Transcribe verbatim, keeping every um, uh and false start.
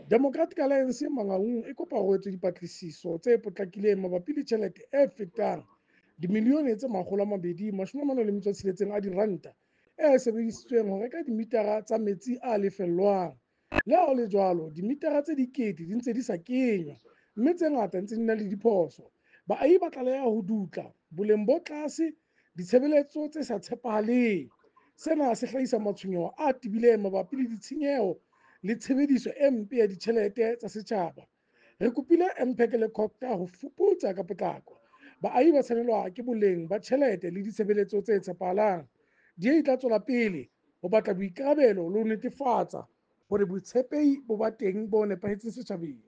Democratic Alliance Mangaung e kopa ho etswe dipatlisiso tse potlakileng mabapi le tjhelete e fetang dimilione tse makgolo a mabedi mashome a mane le metso e tsheletseng a diranta e sebedisitsweng ho reka dimitara tsa metsi a lefellwang. Le ha ho le jwalo, dimitara tse dikete di ntse di sa kenywa, mme tse ngata ntse di na le diphoso. Baahi ba tlaleha ho dutla boleng bo tlase, ditshebeletso tse sa tshepahaleng. Sena se hlahisa matshwenyeho a tebileng mabapi le ditshenyeho le tshebediso e mpe ya ditjhelete tsa setjhaba. Re kopile M P E C le COGTA ho fuputsa ka potlako. Baahi ba tshwanelwa ke boleng ba tjhelete le ditshebeletso tse tshepahalang. D A e tla tswela pele ho batla boikarabelo le ho netefatsa hore botshepehi bo ba teng bo nepahetseng setjhabeng.